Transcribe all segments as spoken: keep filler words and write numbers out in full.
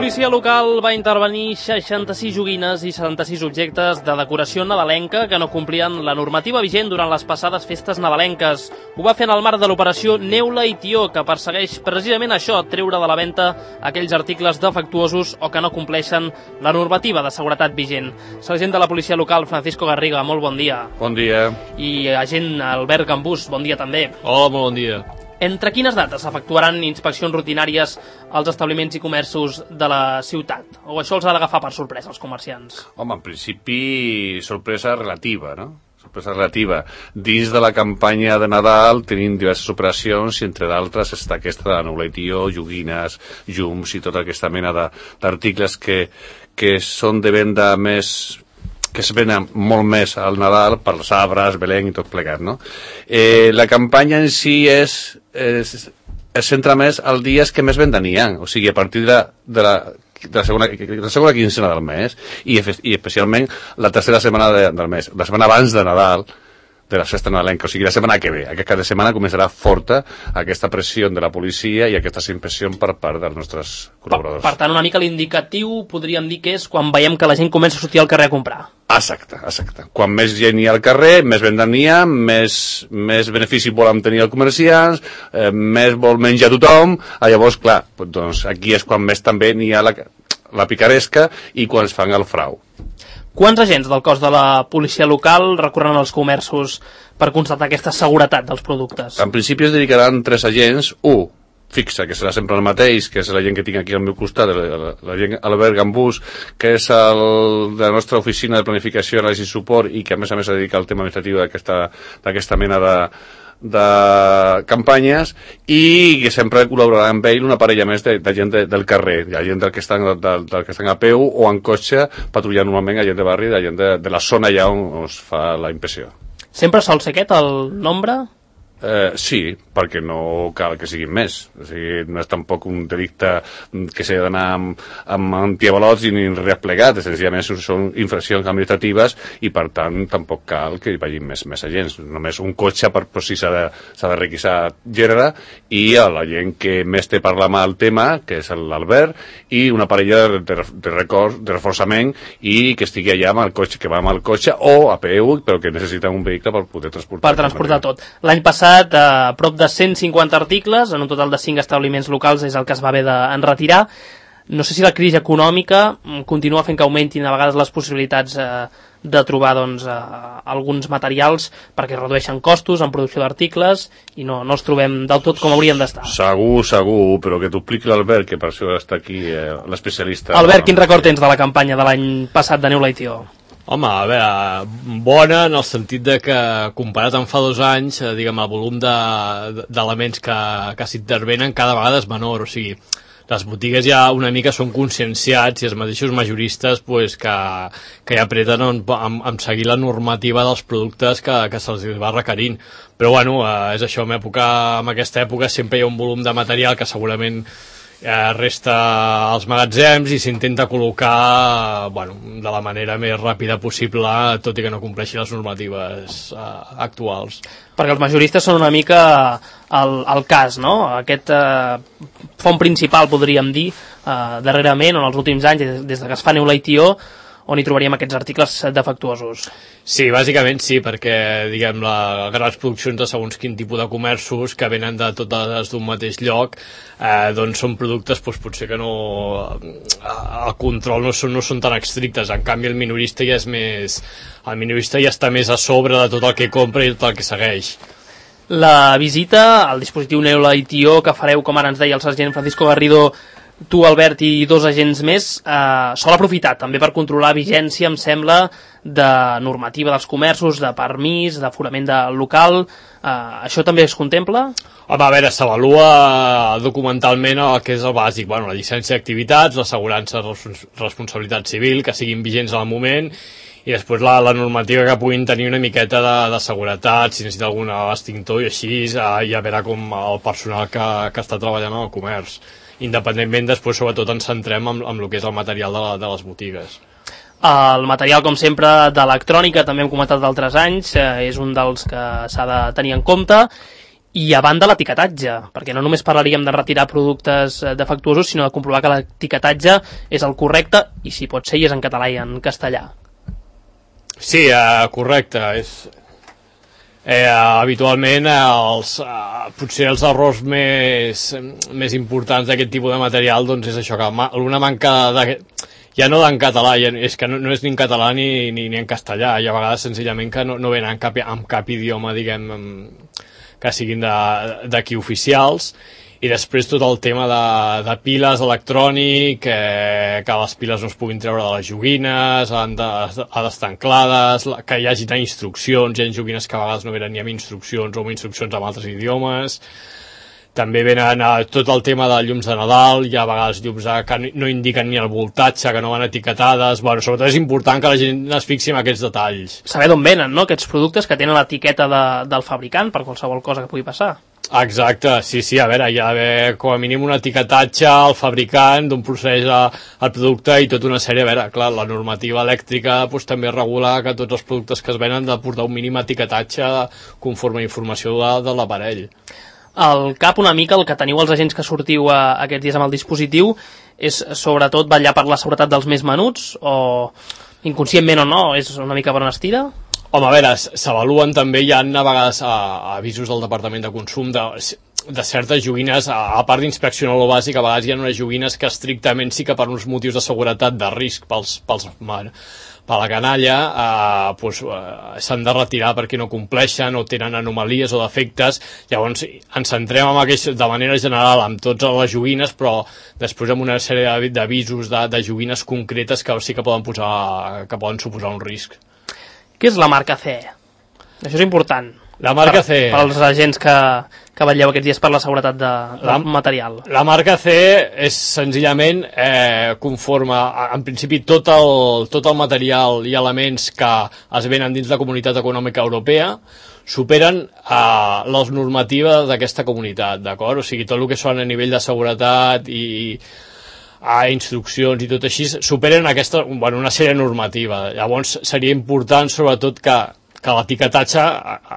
policia local va intervenir seixanta-sis joguines i setanta-sis objectes de decoració nadalenca que no complien la normativa vigent durant les passades festes nadalenques. Ho va fer en el marc de l'operació Neula i Tió, que persegueix precisament això, treure de la venda aquells articles defectuosos o que no compleixen la normativa de seguretat vigent. Sergent de la policia local, Francisco Garriga, molt bon dia. Bon dia. I agent Albert Gambús, bon dia també. Hola, molt bon dia. Entre quines dates s'efectuaran inspeccions rutinàries als establiments i comerços de la ciutat? O això els ha d'agafar per sorpresa, els comerciants? Home, en principi, sorpresa relativa, no? Sorpresa relativa. Dins de la campanya de Nadal tenim diverses operacions i entre d'altres està aquesta de Neula i Tió, joguines, llums i tota aquesta mena d'articles que, que són de venda més... que es venen molt més al Nadal per els arbres, Belén i tot plegat, no? Eh, la campanya en si és, és, es centra més als dies que més venda n'hi ha, o sigui, a partir de, de, la, de, la, segona, de la segona quincena del mes i, i especialment la tercera setmana de, del mes, la setmana abans de Nadal, de la festa nadalenca, o sigui, la setmana que ve. Aquest cap de setmana començarà forta aquesta pressió de la policia i aquesta impressió per part dels nostres col·laboradors. Per, per tant, una mica l'indicatiu podríem dir que és quan veiem que la gent comença a sortir al carrer a comprar. Exacte, exacte. Quan més gent hi ha al carrer, més venda n'hi ha, més, més benefici volen tenir els comerciants, eh, més vol menjar tothom, ah, llavors, clar, doncs aquí és quan més també n'hi ha la, la picaresca i quan es fan el frau. Quants agents del cos de la policia local recorren als comerços per constatar aquesta seguretat dels productes? En principi es dedicaran tres agents, un fixa, que serà sempre el mateix, que és la gent que tinc aquí al meu costat, la, la gent Albert Gambús, que és el de la nostra oficina de planificació, anàlisi i suport i que a més a més es dedica al tema administratiu d'aquesta mena de de campanyes i que sempre col·laborarà amb ell una parella més de, de gent de, del carrer, de gent del que, estan, del, del que estan a peu o en cotxe patrullant normalment a gent de barri, de gent de, de la zona allà on es fa la impressió. Sempre sol ser aquest el nombre? Eh, sí, perquè no cal que siguin més, o sigui, no és tampoc un delicte que s'ha d'anar amb, amb antiavalots ni res plegat, senzillament són infraccions administratives i per tant tampoc cal que hi vagin més, més agents, només un cotxe per, per si s'ha de, s'ha de requisar gènere i a la gent que més té parlar mal el tema, que és l'Albert, i una parella de, de, de, record, de reforçament i que estigui allà amb el cotxe, que va amb el cotxe o a peu, però que necessita un vehicle per poder transportar. Per transportar tot. L'any passat a prop de cent cinquanta articles, en un total de cinc establiments locals és el que es va haver d'enretirar. No sé si la crisi econòmica continua fent que augmentin a vegades les possibilitats eh, de trobar doncs, eh, alguns materials perquè redueixen costos en producció d'articles i no, no els trobem del tot com haurien d'estar. Segur, segur, però que t'ho expliqui l'Albert, que per això està aquí eh, l'especialista. Albert, quin record tens de la campanya de l'any passat de Neula i Tió? Home, a veure, bona en el sentit de que comparat amb fa dos anys, eh, diguem, el volum d'elements de, que, que s'intervenen cada vegada és menor, o sigui, les botigues ja una mica són conscienciats i els mateixos majoristes pues, que, que ja apreten amb, amb, amb seguir la normativa dels productes que, que se'ls va requerint. Però bueno, eh, és això, en, època, en aquesta època sempre hi ha un volum de material que segurament eh, resta als magatzems i s'intenta col·locar bueno, de la manera més ràpida possible, tot i que no compleixi les normatives eh, actuals. Perquè els majoristes són una mica el, el cas, no? Aquest eh, font principal, podríem dir, eh, darrerament, en els últims anys, des, des que es fa Neula i Tió, on hi trobaríem aquests articles defectuosos. Sí, bàsicament sí, perquè diguem les grans produccions de segons quin tipus de comerços que venen de totes d'un mateix lloc, eh, doncs són productes doncs, potser que no el control no són, no són tan estrictes, en canvi el minorista ja és més el minorista ja està més a sobre de tot el que compra i tot el que segueix. La visita al dispositiu Neula i Tió que fareu, com ara ens deia el sergent Francisco Garrido, tu, Albert, i dos agents més, eh, sol aprofitar també per controlar vigència, em sembla, de normativa dels comerços, de permís, d'aforament de local. Eh, això també es contempla? Home, a veure, s'avalua documentalment el que és el bàsic, bueno, la llicència d'activitats, l'assegurança de responsabilitat civil, que siguin vigents al moment, i després la, la normativa que puguin tenir una miqueta de, de seguretat, si necessita algun extintor i així, eh, ja verà com el personal que, que està treballant en el comerç. Independentment, després sobretot ens centrem en, en el que és el material de, la, de les botigues. El material, com sempre, d'electrònica, també hem comentat d'altres anys, eh, és un dels que s'ha de tenir en compte. I a banda l'etiquetatge, perquè no només parlaríem de retirar productes defectuosos, sinó de comprovar que l'etiquetatge és el correcte i si pot ser i és en català i en castellà. Sí, uh, correcte. És... Eh, habitualment els, uh, potser els errors més, més importants d'aquest tipus de material doncs és això, que ma una manca de... ja no en català, ja, és que no, no és ni en català ni, ni, ni en castellà, i a vegades senzillament que no, no venen en cap, en cap idioma, diguem, que siguin d'aquí oficials. I després tot el tema de, de piles electrònic, eh, que les piles no es puguin treure de les joguines, han d'estar anclades, que hi hagi instruccions, hi ha joguines que a vegades no venen ni amb instruccions o amb instruccions en altres idiomes. També venen a tot el tema de llums de Nadal, hi ha a vegades llums que no indiquen ni el voltatge, que no van etiquetades. Bueno, sobretot és important que la gent es fixi en aquests detalls. Saber d'on venen, no?, aquests productes que tenen l'etiqueta de, del fabricant per qualsevol cosa que pugui passar. Exacte, sí, sí, a veure, hi ha d'haver com a mínim un etiquetatge al fabricant d'on procedeix el producte i tota una sèrie, a veure, clar, la normativa elèctrica doncs, també regula que tots els productes que es venen han de portar un mínim etiquetatge conforme a informació de, de l'aparell. Al cap una mica el que teniu els agents que sortiu a, aquests dies amb el dispositiu és sobretot vetllar per la seguretat dels més menuts, o inconscientment o no, és una mica per on es tira? Home, a veure, s'avaluen també, hi ha a vegades a, a avisos del Departament de Consum de, de certes joguines, a, a part d'inspeccionar lo bàsic, a vegades hi ha unes joguines que estrictament sí que per uns motius de seguretat, de risc pels, pels, per la canalla, eh, doncs, eh, s'han de retirar perquè no compleixen o tenen anomalies o defectes. Llavors ens centrem en aquest, de manera general amb totes les joguines, però després amb una sèrie d'avisos de, de joguines concretes que sí que poden, posar, que poden suposar un risc. Què és la marca C E? Això és important. La marca C E. Per als agents que, que vetlleu aquests dies per la seguretat de, del la, material. La marca C E és senzillament eh, conforme, en principi, tot el, tot el material i elements que es venen dins la Comunitat Econòmica Europea superen eh, les normatives d'aquesta comunitat, d'acord? O sigui, tot el que són a nivell de seguretat i a instruccions i tot així, superen aquesta, bueno, una sèrie normativa. Llavors seria important sobretot que, que l'etiquetatge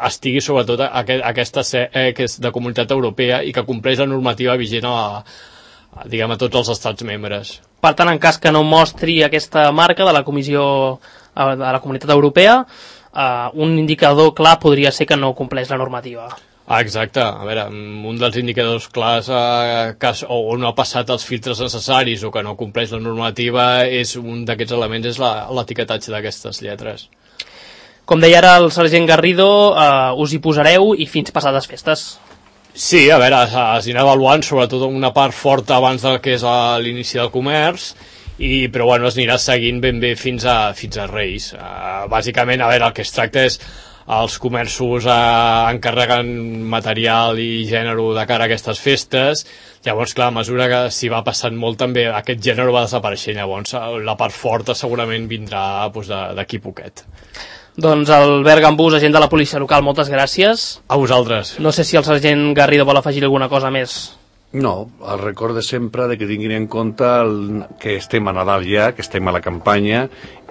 estigui sobretot a, a aquesta C E que és de Comunitat Europea i que compleix la normativa vigent a, a, diguem, a tots els estats membres. Per tant, en cas que no mostri aquesta marca de la Comissió de la Comunitat Europea, eh, un indicador clar podria ser que no compleix la normativa. Ah, exacte, a veure, un dels indicadors clars eh, que o no ha passat els filtres necessaris o que no compleix la normativa és un d'aquests elements, és l'etiquetatge d'aquestes lletres. Com deia ara el sergent Garrido, eh, us hi posareu i fins passades festes. Sí, a veure, es anirà avaluant sobretot una part forta abans del que és l'inici del comerç, i, però bueno, es anirà seguint ben bé fins a, fins a Reis. Uh, bàsicament, a veure, el que es tracta és els comerços eh, encarreguen material i gènere de cara a aquestes festes. Llavors, clar, a mesura que s'hi va passant molt també aquest gènere va desapareixent, llavors la part forta segurament vindrà doncs, d'aquí poquet. Doncs Albert Gambús, agent de la policia local, moltes gràcies. A vosaltres. No sé si el sergent Garrido vol afegir alguna cosa més. No, el record de sempre de que tinguin en compte el, que estem a Nadal ja, que estem a la campanya,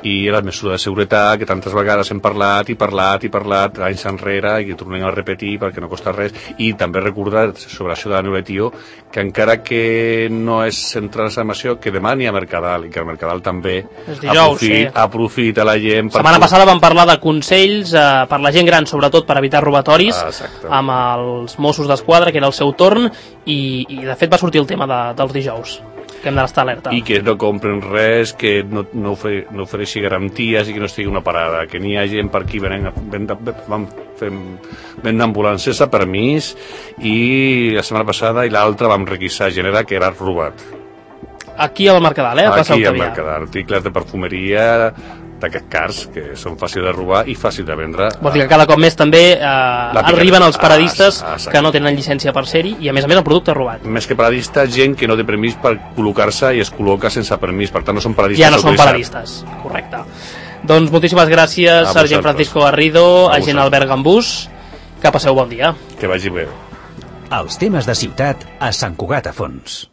i la mesura de seguretat que tantes vegades hem parlat i parlat i parlat anys enrere i que tornem a repetir perquè no costa res. I també recordar sobre això de la Neuletio que encara que no és centrar en això, que demà n'hi ha Mercadal i que el Mercadal també dijous, aprofita, sí. aprofita la gent. La setmana passada vam parlar de consells eh, per la gent gran, sobretot per evitar robatoris, ah, amb els Mossos d'Esquadra, que era el seu torn, i, i de fet va sortir el tema de, dels dijous, que hem d'estar alerta. I que no compren res, que no, no, ofre, no ofereixi garanties i que no estigui una parada, que n'hi ha gent per aquí venen, venen, vam fer venen ambulàncies a permís, i la setmana passada i l'altra vam requisar gènere que era robat. Aquí al Mercadal, eh? Aquí al Mercadal, articles de perfumeria d'aquests cars que són fàcils de robar i fàcils de vendre. Vol dir que cada cop més també eh, arriben els paradistes ah, que no tenen llicència per ser-hi i a més a més el producte robat. Més que paradista, gent que no té permís per col·locar-se i es col·loca sense permís, per tant no són paradistes. Ja no són paradistes, correcte. Doncs moltíssimes gràcies, sergent Francisco Garrido, agent Albert Gambús, que passeu bon dia. Que vagi bé. Els temes de ciutat a Sant Cugat a Fons.